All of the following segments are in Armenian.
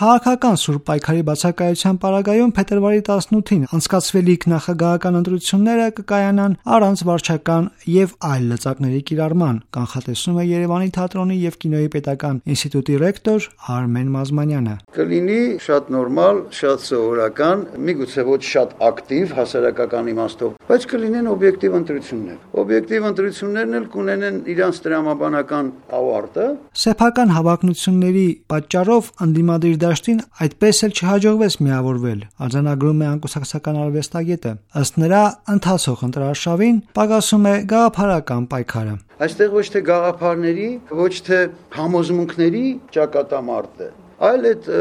Քաղաքական սուրբ պայքարի բացակայության պարագայում փետրվարի 18-ին անցկացվելիք նախագահական ընտրությունները կկայանան առանց վարչական եւ այլ լծակների կիրառման, կանխատեսում է Երևանի թատրոնի եւ կինոյի պետական ինստիտուտի ռեկտոր Արմեն Մազմանյանը։ Կլինի շատ նորմալ, շատ սովորական, միգուցե ոչ շատ ակտիվ հասարակական իմաստով, բայց կլինեն օբյեկտիվ ընտրություններ։ Օբյեկտիվ ընտրություններն էլ կունենեն իրանց տրամաբանական ավարտը։ Սեփական հավակնությունների պատճառով ընդդիմադիր դաշտին այդպես էլ չհաջողվեց միավորվել, արձանագրում է անկուսակցական արվեստագետը։ Ըստ նրա, ընթացող ընտրարշավին պակասում է գաղափարական պայքարը։ Այստեղ ոչ թե գաղափարների, ոչ թե համոզմունքների ճակատամարտ է, այլ այդ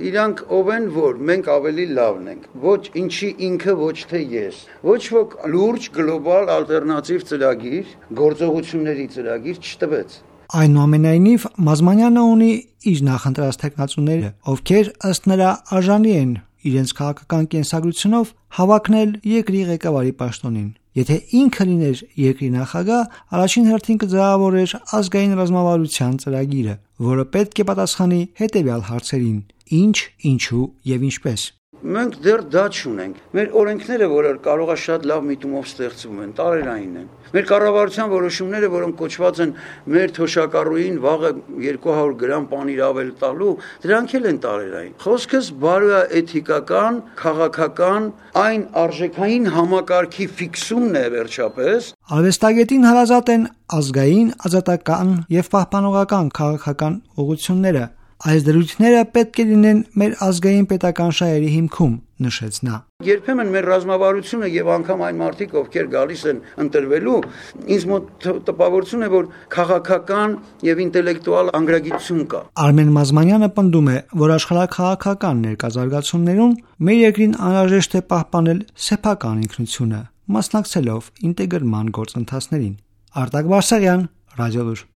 իրանք ով են, որ մենք ավելի լավն ենք, ոչ ինչի ինքը, ոչ թե ես, ոչ ոք լուրջ գլոբալ ալտերնատիվ ծրագիր, գործողությունների ծրագիր չտվեց։ Այնուամենայնիվ, Մազմանյանը ունի իր նախընտրած թեկնածուները, ովքեր ըստ նրա արժանի են իրենց քաղաքական կենսագրությունով հավակնել երկրի ղեկավարի պաշտոնին։ Եթե ինքը լիներ երկրի նախագահ, առաջին հերթին կձևավորեր ազգային ռազմավարության ծրագիրը, որը պետք է պատասխանի հետևյալ հարցերին. ինչ, ինչու եւ ինչպես։ Մենք դեռ դա չունենք։ Մեր օրենքները, որը կարող է շատ լավ միտումով ստեղծվում են, տարերային են։ Մեր կառավարության որոշումները, որոնք կոչված են մեր թոշակառուին վաղը 200 գրամ պանիր ավել տալու, դրանք էլ են տարերային։ Խոսքս բարոյաէթիկական, քաղաքական, այն արժեքային համակարգի ֆիքսումն է վերջապես։ Արվեստագետին հարազատ են ազգային, ազատական եւ պահպանողական քաղաքական ուղղությունները։ Այս դրույթները պետք է լինեն մեր ազգային պետական շահերի հիմքում, նշեց նա։ Երբեմն մեր ռազմավարությունը եւ անգամ այն մարդիկ, ովքեր գալիս են ընտրվելու, ինձ մոտ տպավորություն է, որ քաղաքական եւ ինտելեկտուալ անգրագիտություն կա։ Արմեն Մազմանյանը պնդում է, որ աշխարհաքաղաքական ներկայացություններում մեր երկրին անհրաժեշտ է պահպանել սեփական ինքնությունը, մասնակցելով ինտեգրման գործընթացներին։ Արտակ Բարսեղյան, Ռադիոլուր։